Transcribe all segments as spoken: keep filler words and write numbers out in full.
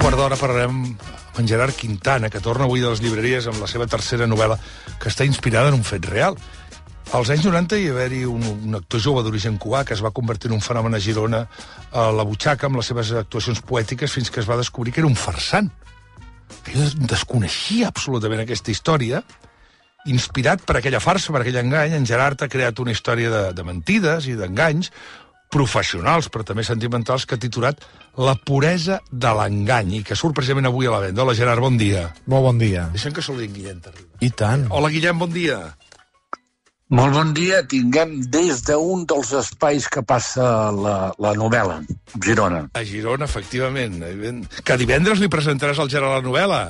quart d'hora parlarem amb en Gerard Quintana, que torna avui de les llibreries amb la seva tercera novel·la, que està inspirada en un fet real. Als anys noranta hi va haver-hi un, un actor jove d'origen cubà que es va convertir en un fenomen a Girona a la butxaca amb les seves actuacions poètiques fins que es va descobrir que era un farsant. Jo desconeixia absolutament aquesta història. Inspirat per aquella farsa, per aquell engany, en Gerard ha creat una història de, de mentides i d'enganys professionals, però també sentimentals, que ha titulat La puresa de l'engany, i que surt precisament avui a la venda. Hola, Gerard, bon dia. Molt bon dia. Deixem que saludi en Guillem Terriba. I tant. Hola, Guillem, bon dia. Molt bon dia. Tinguem des d'un dels espais que passa la, la novel·la, Girona. A Girona, efectivament. Que divendres li presentaràs al Gerard la novel·la,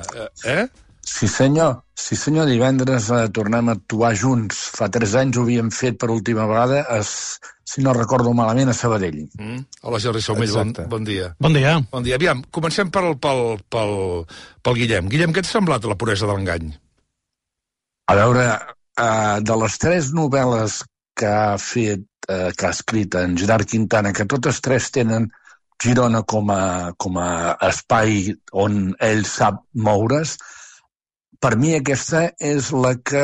eh? Sí, senyor. Sí, senyor. Divendres eh, tornem a actuar junts. Fa tres anys ho havíem fet per última vegada, es, si no recordo malament, a Sabadell. Mm. Hola, Jordi Saumell, bon, bon dia. Bon dia. Bon dia. Aviam, comencem pel, pel, pel, pel Guillem. Guillem, què t'ha semblat La puresa de l'engany? A veure, eh, de les tres novel·les que ha fet, eh, que ha escrit en Gerard Quintana, que totes tres tenen Girona com a, com a espai on ell sap moure's, per mi aquesta és la que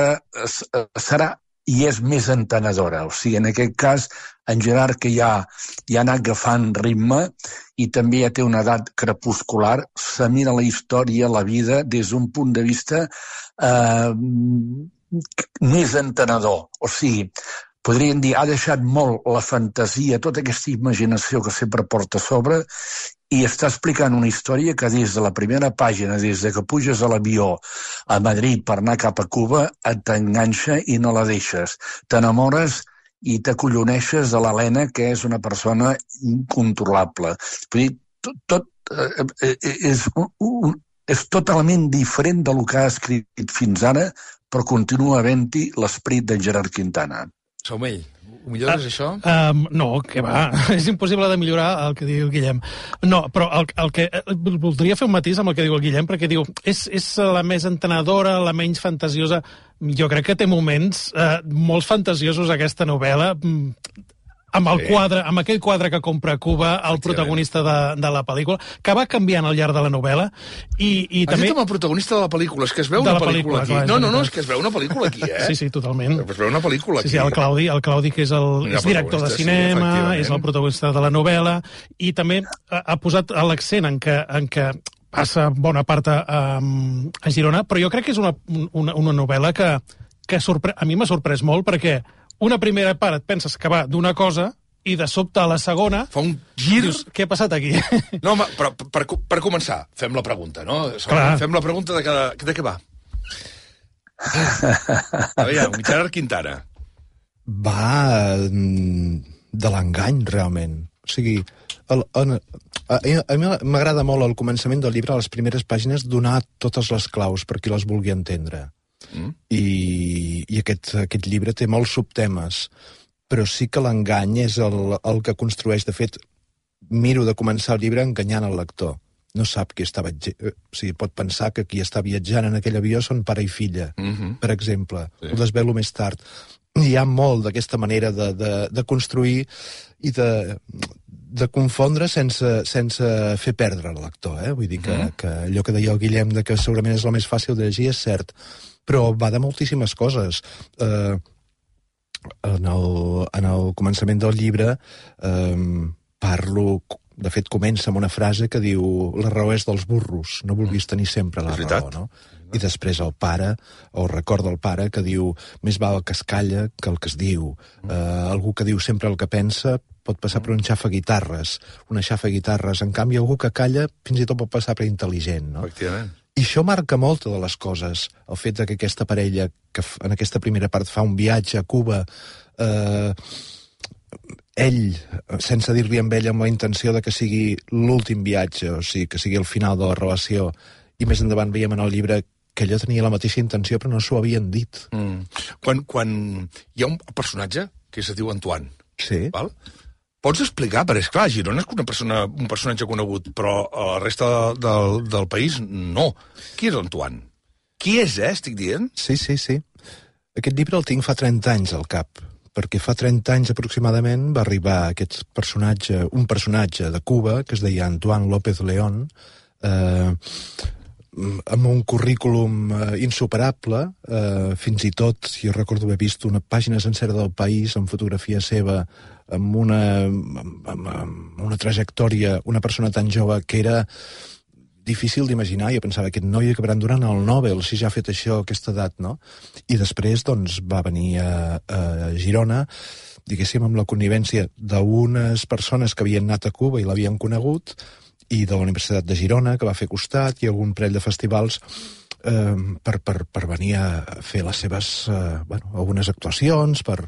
serà i és més entenedora. O sigui, en aquest cas, en Gerard, que ja, ja ha anat agafant ritme i també ja té una edat crepuscular, se mira la història, la vida, des d'un punt de vista eh, més entenedor. O sigui, podríem dir, ha deixat molt la fantasia, tota aquesta imaginació que sempre porta a sobre, i està explicant una història que des de la primera pàgina, des de que puges a l'avió a Madrid per anar cap a Cuba, et t'enganxa i no la deixes. T'enamores i t'acolloneixes de l'Helena, que és una persona incontrolable. Vull dir, tot, tot eh, és, un, és totalment diferent del que ha escrit fins ara, però continua havent-hi l'esperit de Gerard Quintana. Saumell, ho millores, uh, això? Um, no, que va. És impossible de millorar el que diu el Guillem. No, però el, el que voldria fer un matís amb el que diu el Guillem, perquè diu, és, és la més entenedora, la menys fantasiosa. Jo crec que té moments eh, molt fantasiosos, aquesta novel·la, amb el sí. quadre, amb aquell quadre que compra a Cuba, el protagonista de, de la pel·lícula, que va canviant al llarg de la novel·la. I, i Has també... dit amb el protagonista de la pel·lícula, és que es veu de una la pel·lícula, pel·lícula aquí. clar, No, no, no, és que es veu una pel·lícula aquí, eh? Sí, sí, totalment. Es veu una pel·lícula aquí. Sí, sí, el Claudi, el Claudi que és, el, és director de cinema, sí, és el protagonista de la novel·la, i també ha, ha posat l'accent en què, en què passa bona part a, a Girona, però jo crec que és una, una, una novel·la que, que sorpre... a mi m'ha sorprès molt, perquè una primera part et penses que va d'una cosa, i de sobte a la segona... Fa un gir... Dius, què ha passat aquí? No, home, però per, per començar, fem la pregunta, no? Clar. Fem la pregunta de, cada, de què va. A veure, Gerard Quintana. Va de l'engany, realment. O sigui, el, el, a, a mi m'agrada molt al començament del llibre, a les primeres pàgines, donar totes les claus per qui les vulgui entendre. Mm. I, i aquest, aquest llibre té molts subtemes, però sí que l'engany és el, el que construeix. De fet, miro de començar el llibre enganyant el lector. No sap qui està viatjant. O sigui, pot pensar que qui està viatjant en aquell avió són pare i filla, mm-hmm. per exemple. Sí. Ho desvelo més tard. Hi ha molt d'aquesta manera de, de, de construir i de, de confondre sense, sense fer perdre el lector. Eh? Vull dir que, mm-hmm. que allò que deia el Guillem de que segurament és la més fàcil de llegir és cert, però va de moltíssimes coses. Eh... En el, en el començament del llibre eh, parlo, de fet comença amb una frase que diu la raó és dels burros, no vulguis tenir sempre la raó, no? I després el pare, o recorda el pare, que diu més val el que es calla que el que es diu. Eh, algú que diu sempre el que pensa pot passar per un xafaguitarres, una xafaguitarres. En canvi, algú que calla fins i tot pot passar per intel·ligent, no? Efectivament. I això marca moltes de les coses. El fet de que aquesta parella, que en aquesta primera part fa un viatge a Cuba, eh, ell, sense dir-li amb ell amb la intenció de que sigui l'últim viatge, o sigui, que sigui el final de la relació, i més endavant veiem en el llibre que ella tenia la mateixa intenció però no s'ho havien dit. Mm. Quan, quan hi ha un personatge que es diu Antoine, sí. val? Pots explicar? Perquè, esclar, Girona és una persona, un personatge conegut, però a la resta del, del país no. Qui és Antoine? Qui és, eh, estic dient? Sí, sí, sí. Aquest llibre el tinc fa trenta anys al cap, perquè fa trenta anys aproximadament va arribar aquest personatge, un personatge de Cuba, que es deia Antoine López León, eh, amb un currículum eh, insuperable, eh, fins i tot, jo recordo haver vist una pàgina sencera del País amb fotografia seva, amb una, amb, amb una trajectòria, una persona tan jove que era difícil d'imaginar. Jo pensava, aquest noi acabarà donant el Nobel si ja ha fet això a aquesta edat, no? I després, doncs, va venir a, a Girona, diguéssim, amb la connivència d'unes persones que havien anat a Cuba i l'havien conegut, i de la Universitat de Girona, que va fer costat, i algun parell de festivals eh, per, per, per venir a fer les seves, eh, bueno, algunes actuacions, per...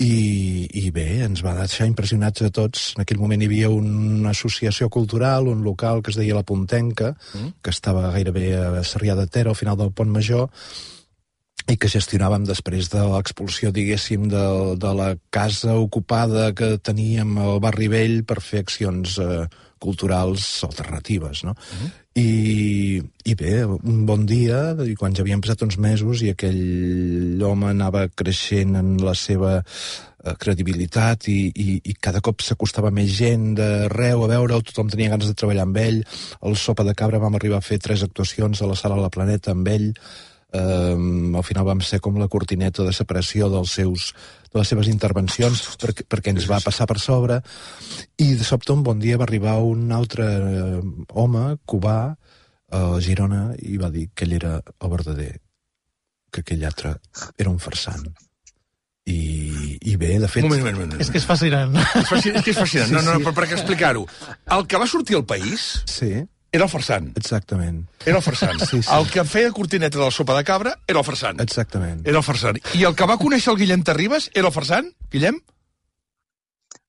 I, i bé, ens va deixar impressionats a tots. En aquell moment hi havia una associació cultural, un local que es deia La Puntenca, mm. que estava gairebé a Sarrià de Ter, al final del Pont Major, i que gestionàvem després de l'expulsió, diguéssim, de, de la casa ocupada que teníem al barri vell per fer accions eh, culturals alternatives, no? Mm. I, i bé, un bon dia, i quan ja havien passat uns mesos i aquell home anava creixent en la seva eh, credibilitat i, i, i cada cop s'acostava més gent d'arreu a veure-ho, tothom tenia ganes de treballar amb ell. Al Sopa de Cabra vam arribar a fer tres actuacions a la Sala La Planeta amb ell. Um, al final vam ser com la cortineta de separació dels seus, de les seves intervencions, perquè, perquè ens va passar per sobre, i de sobte un bon dia va arribar un altre uh, home cubà a Girona i va dir que ell era el verdader, que aquell altre era un farsant. I, i bé, de fet... Moment, moment, moment. És que és fascinant. És, fascinant, és que és fascinant. No, no, no, per, per què explicar-ho? El que va sortir al País... Sí. Era el farsant. Exactament. Era el farsant. Sí, sí. El que feia cortineta del Sopa de Cabra era el farsant. Exactament. Era el farsant. I el que va conèixer el Guillem Terribas era el farsant? Guillem?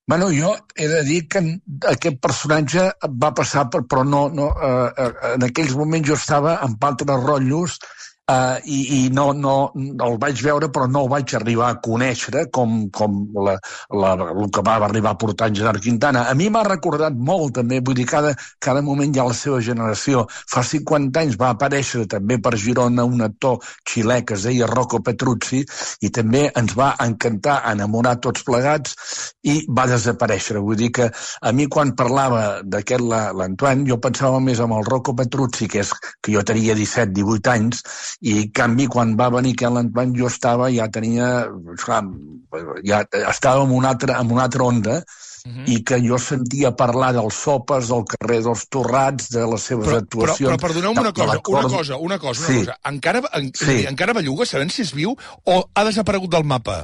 Bueno, jo he de dir que aquest personatge va passar per... Però no... no eh, en aquells moments jo estava amb altres rotllos eh, i, i no, no el vaig veure, però no el vaig arribar a conèixer com, com la, la, el que va arribar a portar en Gerard Quintana. A mi m'ha recordat molt, també, vull dir, cada, cada moment hi ha la seva generació. Fa cinquanta anys va aparèixer també per Girona un actor xilè que es deia Rocco Petruzzi i també ens va encantar, enamorar tots plegats i va desaparèixer. Vull dir que a mi quan parlava d'aquest l'Antoine jo pensava més amb el Rocco Petruzzi, que, és, que jo tenia disset divuit anys, i en canvi quan va venir aquest l'Antoine jo estava, ja tenia, esclar, ja estava en una altra, en una altra onda, uh-huh. i que jo sentia parlar dels sopes, del carrer dels Torrats, de les seves però, actuacions... Però, però perdoneu-me una cosa, una cosa, una cosa, una sí. cosa. Encara, en, sí. encara belluga, sabem si és viu o ha desaparegut del mapa?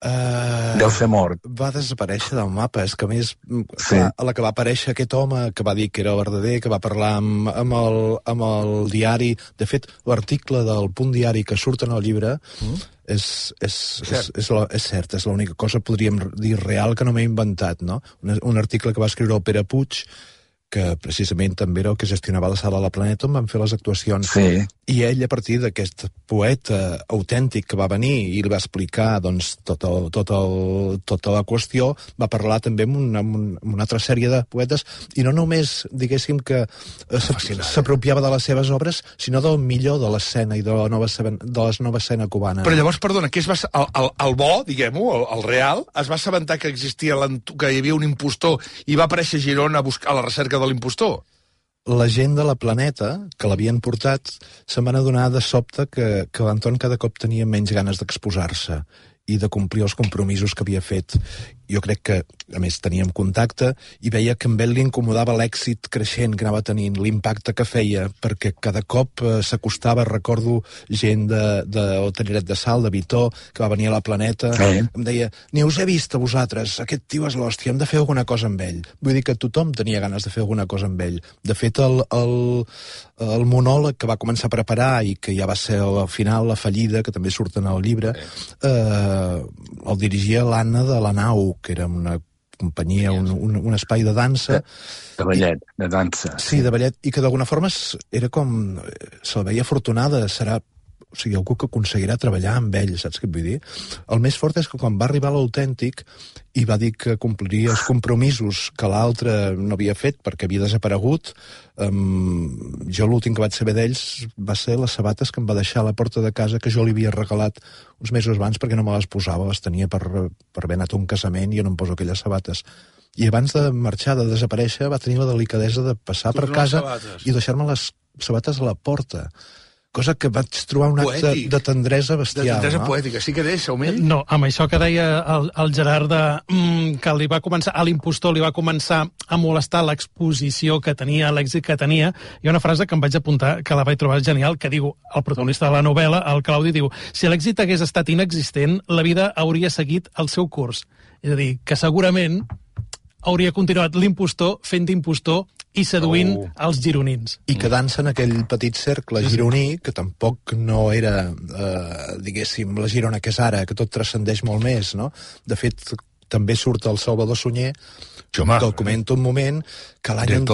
Uh, Deu ser mort. Va desaparèixer del mapa. És que, a més, sí. clar, a la que va aparèixer aquest home que va dir que era el verdader, que va parlar amb, amb, el, amb el diari... De fet, l'article del Punt Diari que surt en el llibre mm. és, és, és, és, la, és cert, és l'única cosa, podríem dir, real que no m'he inventat, no? Un, un article que va escriure el Pere Puig, que precisament també era el que gestionava la Sala La Planeta on van fer les actuacions. Sí. I ell, a partir d'aquest poeta autèntic que va venir i li va explicar doncs, tot el, tot el, tota la qüestió, va parlar també amb una, amb una altra sèrie de poetes, i no només, diguéssim, que s'apropiava de les seves obres, sinó del millor de l'escena i de la nova de la nova escena cubana. Però llavors, perdona, que es va, el, el, el bo, diguem-ho, el, el real, es va assabentar que existia que hi havia un impostor i va aparèixer a Girona a buscar a la recerca de l'impostor? La gent de La Planeta, que l'havien portat, se'n van adonar de sobte que, que l'Anton cada cop tenia menys ganes d'exposar-se i de complir els compromisos que havia fet. Jo crec que, a més, teníem contacte i veia que amb ell li incomodava l'èxit creixent que anava tenint, l'impacte que feia, perquè cada cop eh, s'acostava, recordo gent de, de Hotelleret de Sal, de Vitó, que va venir a La Planeta, sí. Em deia, ni us he vist a vosaltres, aquest tio és l'hòstia, hem de fer alguna cosa amb ell. Vull dir que tothom tenia ganes de fer alguna cosa amb ell. De fet, el, el, el monòleg que va començar a preparar i que ja va ser al final la fallida, que també surt en el llibre, eh, el dirigia l'Anna de la Nau, que era una companyia, un, un, un espai de dansa. De ballet, de dansa. Sí, de ballet, i que d'alguna forma era com... se'l veia afortunada, serà... O sigui, algú que aconseguirà treballar amb ell, saps què et vull dir? El més fort és que quan va arribar l'Autèntic i va dir que compliria els compromisos que l'altre no havia fet perquè havia desaparegut, um, jo l'últim que vaig saber d'ells va ser les sabates que em va deixar a la porta de casa, que jo li havia regalat uns mesos abans perquè no me les posava, les tenia per, per haver anat a un casament i jo no em poso aquelles sabates. I abans de marxar, de desaparèixer, va tenir la delicadesa de passar per casa i deixar-me les sabates a la porta. Cosa que vaig trobar un acte de, de tendresa bestial. De tendresa no? poètica. Sí que deix, Saumell? No, amb això que deia el, el Gerard, de, mm, que li va començar, a l'impostor li va començar a molestar l'exposició que tenia, l'èxit que tenia, hi ha una frase que em vaig apuntar, que la vaig trobar genial, que diu, el protagonista de la novel·la, el Claudi, diu, si l'èxit hagués estat inexistent, la vida hauria seguit el seu curs. És a dir, que segurament hauria continuat l'impostor fent d'impostor i seduint oh. els gironins. I quedant-se en aquell petit cercle gironí, que tampoc no era, eh, diguéssim, la Girona que és ara, que tot transcendeix molt més, no? De fet, també surt el Salvador Sunyer, que el comento un moment, que l'any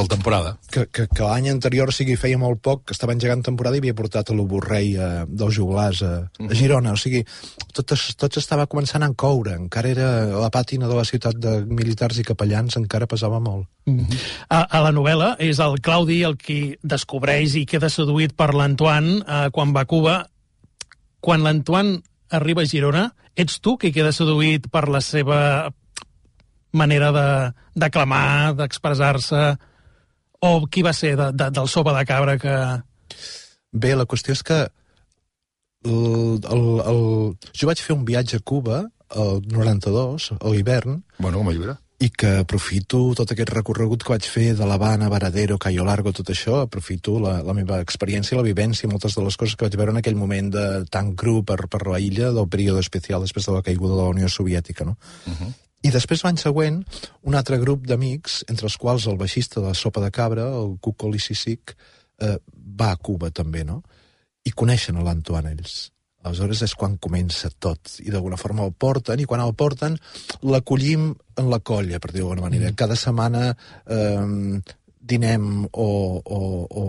que, que, que l'any anterior, o sigui, feia molt poc, que estava engegant temporada i havia portat a l'Oborrei eh, dels Joglars a, a Girona. O sigui, tot, tot estava començant a encoure. Encara era la pàtina de la ciutat de militars i capellans, encara pesava molt. Mm-hmm. a, a la novel·la és el Claudi el qui descobreix i queda seduït per l'Antoine eh, quan va a Cuba. Quan l'Antoine arriba a Girona, ets tu qui queda seduït per la seva manera de d'aclamar, d'expressar-se, o qui va ser de, de, del sopa de cabra que... Bé, la qüestió és que el, el, el... jo vaig fer un viatge a Cuba el noranta-dos, a l'hivern, bueno, com a llibre, i que aprofito tot aquest recorregut que vaig fer de l'Havana, Varadero, Cayo Largo, tot això, aprofito la, la meva experiència, la vivència, moltes de les coses que vaig veure en aquell moment de tan cru per, per la illa del període especial després de la caiguda de la Unió Soviètica, no? Uh-huh. I després, l'any següent, un altre grup d'amics, entre els quals el baixista de Sopa de Cabra, el Cuco Lissisic, eh, va a Cuba també, no? I coneixen l'Antoine ells. Aleshores és quan comença tot, i d'alguna forma el porten, i quan el porten l'acollim en la colla, per dir d'alguna manera. Mm. Cada setmana eh, dinem o, o, o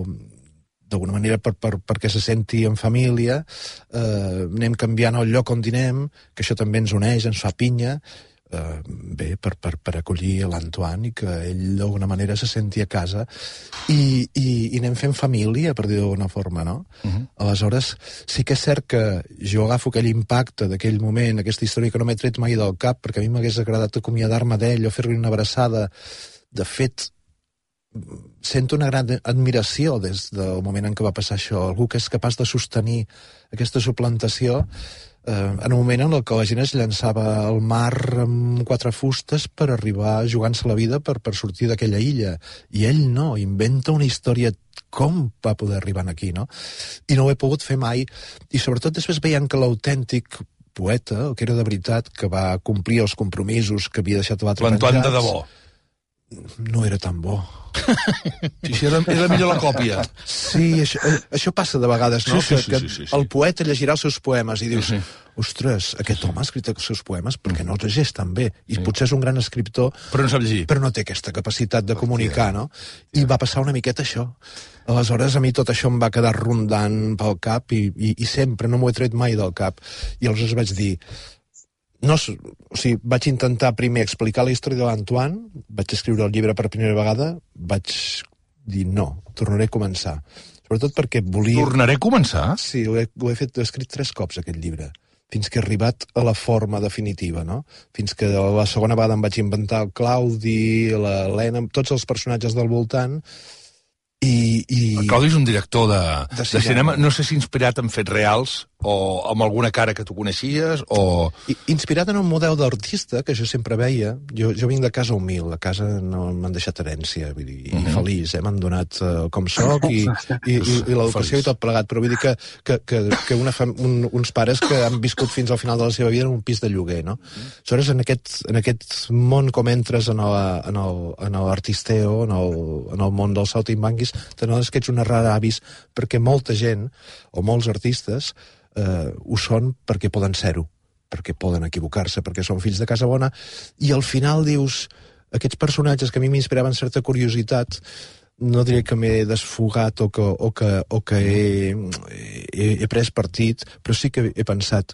d'alguna manera per, per, perquè se senti en família, eh, anem canviant el lloc on dinem, que això també ens uneix, ens fa pinya, Uh, bé, per, per, per acollir l'Antoine i que ell d'alguna manera se senti a casa i, i, i anem fent família, per dir d'alguna forma, no? Uh-huh. Aleshores, sí que és cert que jo agafo aquell impacte d'aquell moment, aquesta història que no m'he tret mai del cap, perquè a mi m'hagués agradat acomiadar-me d'ell o fer-li una abraçada. De fet, sento una gran admiració des del moment en què va passar això, algú que és capaç de sostenir aquesta suplantació eh, en un moment en el que la gent es llançava al mar amb quatre fustes per arribar jugant-se la vida per, per sortir d'aquella illa. I ell no, inventa una història com va poder arribar aquí, no? I no ho he pogut fer mai. I sobretot després veient que l'autèntic poeta, el que era de veritat, que va complir els compromisos que havia deixat l'altre penjats... L'Antoine de debò. No era tan bo. Sí, sí, era, era millor la còpia. Sí, això, això passa de vegades, no? Sí, sí, sí, que, sí, sí, sí. que el poeta llegirà els seus poemes i dius, sí, sí. ostres, aquest home ha escrit els seus poemes perquè no els llegeix tan bé. I sí. Potser és un gran escriptor, però no sap llegir. Però no té aquesta capacitat de comunicar, no? I va passar una miqueta això. Aleshores, a mi tot això em va quedar rondant pel cap i, i, i sempre no m'ho he tret mai del cap. I aleshores vaig dir... No, o sigui, vaig intentar primer explicar la història de l'Antoine, vaig escriure el llibre per primera vegada, vaig dir no, tornaré a començar. Sobretot perquè volia... Tornaré a començar? Sí, ho he, ho he fet, ho he escrit tres cops, aquest llibre, fins que he arribat a la forma definitiva, no? Fins que la segona vegada em vaig inventar el Claudi, l'Helena, tots els personatges del voltant, i... i... El Claudi és un director de, de, de cinema, no sé si inspirat en fets reals o amb alguna cara que tu coneixies, o... I, inspirat en un model d'artista que jo sempre veia. Jo, jo vinc de casa humil, a casa no m'han deixat herència, vull dir, uh -huh. i feliç, eh? M'han donat uh, com soc i, i, i, i l'educació i tot plegat, però vull dir que, que, que, que una fam, un, uns pares que han viscut fins al final de la seva vida en un pis de lloguer, no? Aleshores, en aquest, en aquest món com entres en l'artisteo, en, en, en, en el món dels saltimbanquis, t'adones que ets un rara avis, perquè molta gent, o molts artistes, eh, ho són perquè poden ser-ho, perquè poden equivocar-se, perquè són fills de casa bona, i al final dius, aquests personatges que a mi m'inspiraven certa curiositat, no diré que m'he desfogat o que, o que, o que he, he, he pres partit, però sí que he pensat,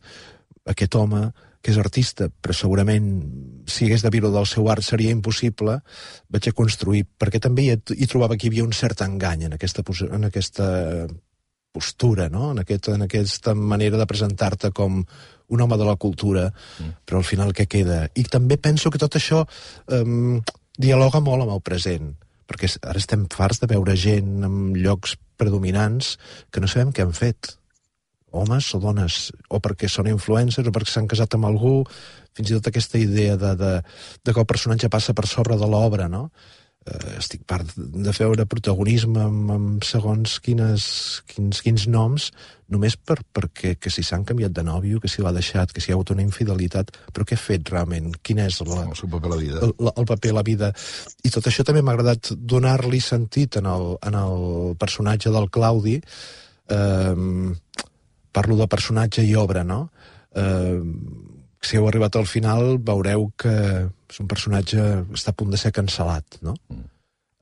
aquest home que és artista, però segurament si hagués de viure del seu art seria impossible, vaig a construir, perquè també hi, hi trobava que hi havia un cert engany en aquesta, en aquesta postura, no? En, aquest, en aquesta manera de presentar-te com un home de la cultura, mm. però al final què queda? I també penso que tot això, um, dialoga molt amb el present, perquè ara estem farts de veure gent en llocs predominants que no sabem què han fet, homes o dones, o perquè són influencers, o perquè s'han casat amb algú, fins i tot aquesta idea de, de, de que el personatge passa per sobre de l'obra, no? Eh, estic part de veure protagonisme amb, amb segons quines, quins, quins noms, només per, perquè que si s'han canviat de nòvio, que si l'ha deixat, que si hi ha hagut una infidelitat, però què ha fet realment? Quin és la, el seu paper a la vida? El, el paper a la vida. I tot això també m'ha agradat donar-li sentit en el, en el personatge del Claudi. Eh, parlo de personatge i obra, no? Eh, si heu arribat al final veureu que és un personatge que està a punt de ser cancel·lat, no? Mm.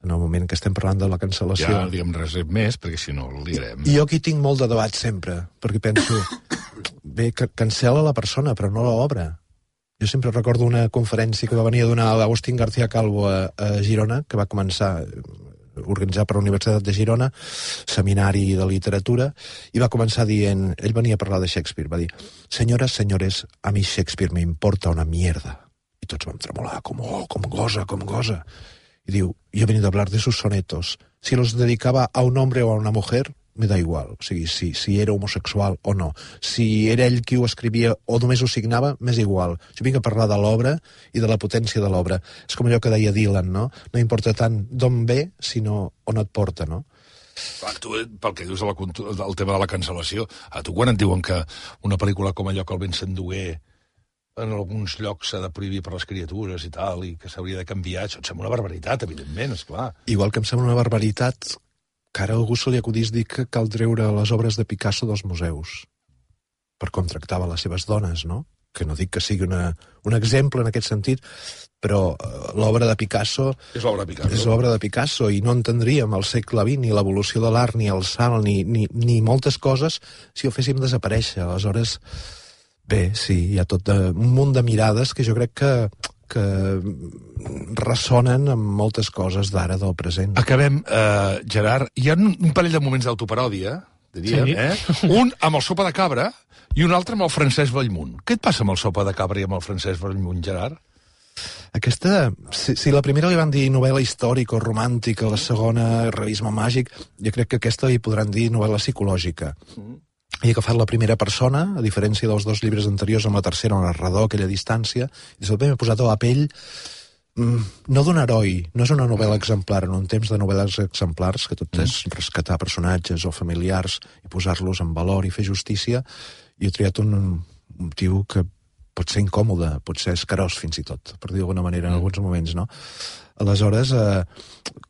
En el moment que estem parlant de la cancel·lació. Ja, diguem res més, perquè si no el direm. I jo aquí tinc molt de debat sempre, perquè penso, bé, que cancel·la la persona, però no l'obra. Jo sempre recordo una conferència que va venir a donar l'Agustín García Calvo a, a Girona, que va començar organitzar per la Universitat de Girona, seminari de literatura, i va començar dient, ell venia a parlar de Shakespeare, va dir, senyores, senyores, a mi Shakespeare me importa una mierda. I tots vam tremolar, com, oh, com gosa, com gosa. Y diu, yo he venido a hablar de sus sonetos. Si los dedicaba a un hombre o a una mujer, me da igual. O sigui, si, si era homosexual o no. Si era ell qui ho escrivia o només ho signava, m'és igual. Jo vinc a parlar de l'obra i de la potència de l'obra. És com allò que deia Dylan, no? No importa tant d'on ve, sinó on et porta, no? Clar, tu, pel que dius del tema de la cancel·lació, a tu quan et diuen que una pel·lícula com allò que el Vincent Duguer en alguns llocs s'ha de prohibir per les criatures i tal, i que s'hauria de canviar, això et sembla una barbaritat, evidentment, esclar. Igual que em sembla una barbaritat que ara a algú se li acudís dir que cal treure les obres de Picasso dels museus per com tractava les seves dones, no? Que no dic que sigui una, un exemple en aquest sentit, però uh, l'obra de Picasso... És l'obra de Picasso. És l'obra de Picasso, i no entendríem el segle vint, ni l'evolució de l'art, ni el salt, ni, ni, ni moltes coses si ho féssim desaparèixer. Aleshores, bé, sí, hi ha tot de, un munt de mirades que jo crec que, que ressonen amb moltes coses d'ara, del present. Acabem, eh, Gerard. Hi ha un, un parell de moments d'autoparòdia, diríem, sí. eh? Un amb el Sopa de Cabra i un altre amb el Francesc Bellmunt. Què et passa amb el Sopa de Cabra i amb el Francesc Bellmunt, Gerard? Aquesta, si, si la primera li van dir novel·la històrica o romàntica, la segona realisme màgic, jo crec que aquesta li podran dir novel·la psicològica. Mm. He agafat la primera persona, a diferència dels dos llibres anteriors, amb la tercera, un narrador, aquella distància, i sobretot m'he posat a la pell, mm, no d'un heroi, no és una novel·la exemplar, en un temps de novel·les exemplars, que tot és rescatar personatges o familiars i posar-los en valor i fer justícia, i he triat un, un motiu que pot ser incòmode, pot ser escarós fins i tot, per dir d'alguna manera, en alguns moments, no? Aleshores, eh,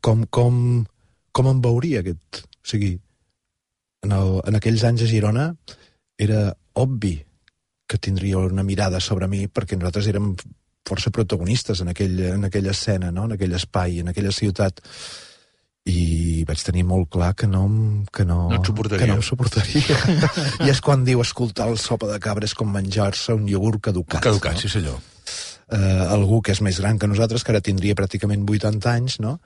com, com, com em veuria aquest... O sigui, en, el, en aquells anys a Girona era obvi que tindria una mirada sobre mi, perquè nosaltres érem força protagonistes en, aquell, en aquella escena, no? En aquell espai, en aquella ciutat, i vaig tenir molt clar que no, que no, no, que no em suportaria. I és quan diu, escoltar el Sopa de Cabra és com menjar-se un iogurt caducat. Caducat, no? Sí senyor. Uh, algú que és més gran que nosaltres, que ara tindria pràcticament vuitanta anys, no?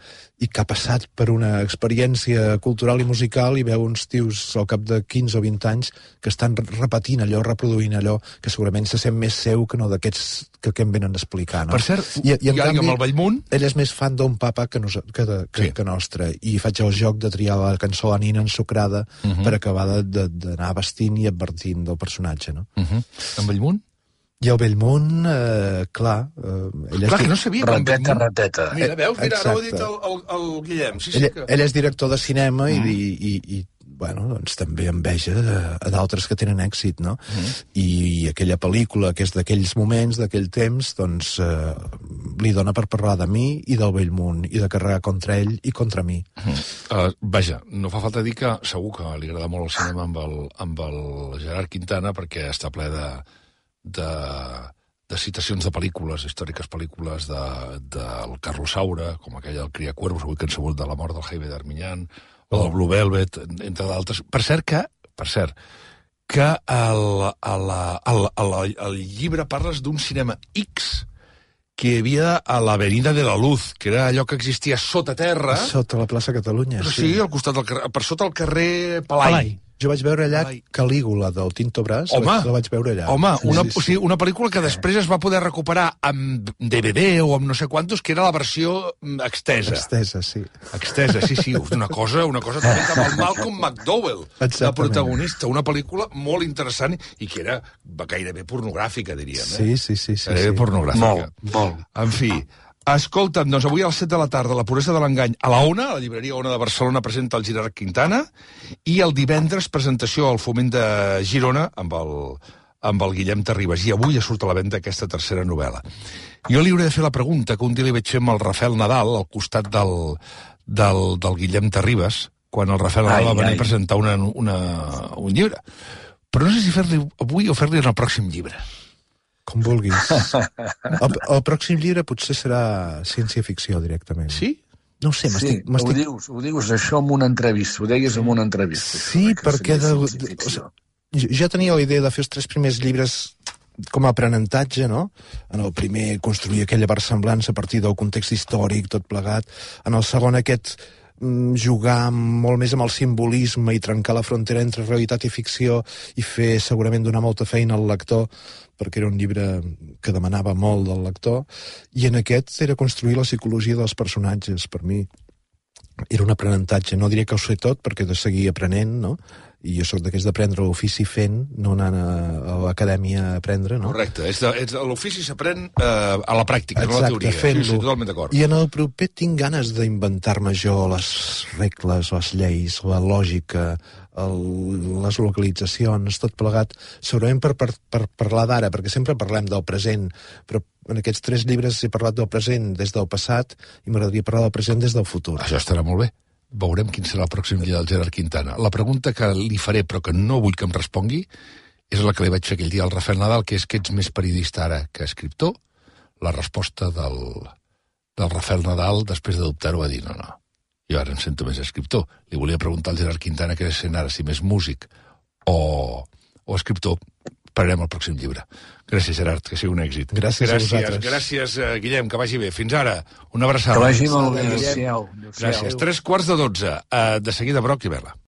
I que ha passat per una experiència cultural i musical i veu uns tios al cap de quinze o vint anys que estan repetint allò, reproduint allò, que segurament se sent més seu que no d'aquests que, que em venen a explicar, no? Per cert, I, i en i canvi, amb el Bellmunt... ell és més fan d'un papa que, nos, que, de, que, sí. que nostre, i faig el joc de triar la cançó La nina ensucrada uh -huh. per acabar d'anar vestint i advertint del personatge, no? Uh -huh. En Bellmunt? I el Bellmunt, eh, clar... Eh, ell clar, és que no sabia... Rateta, rateta. Mira, veus? Mira, ara ho ha dit el, el, el Guillem. Sí, sí, ell, que... ell és director de cinema mm. i, i, i, bueno, doncs també enveja a, a d'altres que tenen èxit, no? Mm. I, I aquella pel·lícula, que és d'aquells moments, d'aquell temps, doncs eh, li dona per parlar de mi i del Bellmunt, i de carregar contra ell i contra mi. Mm. Uh, vaja, no fa falta dir que segur que li agrada molt el cinema amb el, amb el Gerard Quintana, perquè està ple de... de, de citacions de pel·lícules, històriques pel·lícules de, del Carlos Saura, com aquella del Cria Cuervos, avui que han sabut de la mort del Jaime d'Arminyan, o del Blue Velvet, entre d'altres. Per cert que, per cert, que el, el, el, el, el llibre parles d'un cinema X que hi havia a l'Avenida de la Luz, que era allò que existia sota terra. Sota la plaça Catalunya, però sí. Sí, al costat del carrer, per sota el carrer Palai. Palai. Jo vaig veure allà Ai. Calígula, del Tinto Brass, Home, la, la vaig veure allà. Home, una, sí, sí. O sigui, una pel·lícula que després es va poder recuperar amb D V D o amb no sé quantos, que era la versió extesa. Extesa, sí. Extesa, sí, sí, una cosa, una cosa també amb el Malcolm McDowell, de protagonista, una pel·lícula molt interessant i que era gairebé pornogràfica, diríem. Eh? Sí, sí, sí. sí, Gairebé sí. pornogràfica. Molt, molt. En fi, escolta'm, doncs avui a les set de la tarda, La puresa de l'engany, a la Ona, a la llibreria Ona de Barcelona, presenta el Gerard Quintana, i el divendres presentació al Foment de Girona amb el, amb el Guillem Terribas. I avui ja surt a la venda aquesta tercera novel·la. Jo li hauré de fer la pregunta que un dia li vaig fer amb el Rafael Nadal, al costat del, del, del Guillem Terribas, quan el Rafael Nadal ai, va venir ai. a presentar una, una, un llibre. Però no sé si fer-li avui o fer-li en el pròxim llibre. Com vulguis. El, el pròxim llibre potser serà ciència-ficció, directament. Sí? No ho sé, m'estic... Sí, ho dius, ho dius això en una entrevista, ho deies en una entrevista. Sí, perquè... De, de, o sigui, jo tenia la idea de fer els tres primers llibres com a aprenentatge, no? En el primer, construir aquella versemblança a partir del context històric, tot plegat. En el segon, aquest jugar molt més amb el simbolisme i trencar la frontera entre realitat i ficció i fer segurament donar molta feina al lector, perquè era un llibre que demanava molt del lector, i en aquest era construir la psicologia dels personatges. Per mi era un aprenentatge. No diré que ho sé tot, perquè he de seguir aprenent, no? I jo soc d'aquells d'aprendre l'ofici fent, no anant a, a l'acadèmia a aprendre, no? Correcte. És de, és de, l'ofici s'aprèn eh, a la pràctica, exacte, no a la teoria. fent-lo. Sí, sí, totalment d'acord. I en el proper tinc ganes d'inventar-me jo les regles, les lleis, la lògica, el, les localitzacions, tot plegat, segurament per, per, per parlar d'ara, perquè sempre parlem del present, però en aquests tres llibres he parlat del present des del passat i m'agradaria parlar del present des del futur. Això estarà molt bé. Veurem quin serà el pròxim llibre del Gerard Quintana. La pregunta que li faré, però que no vull que em respongui, és la que li vaig fer aquell dia al Rafael Nadal, que és que ets més periodista ara que escriptor. La resposta del, del Rafael Nadal, després de dubtar-ho, va dir no, no, jo ara em sento més escriptor. Li volia preguntar al Gerard Quintana què és sent ara, si més músic o, o escriptor. Pararem el pròxim llibre. Gràcies, Gerard, que sigui un èxit. Gràcies, gràcies a vosaltres. Gràcies, Guillem, que vagi bé. Fins ara. Una abraçada. Que vagi molt bé. Adéu-siau. Gràcies. Tres quarts de dotze. Uh, de seguida, Broc i Vela.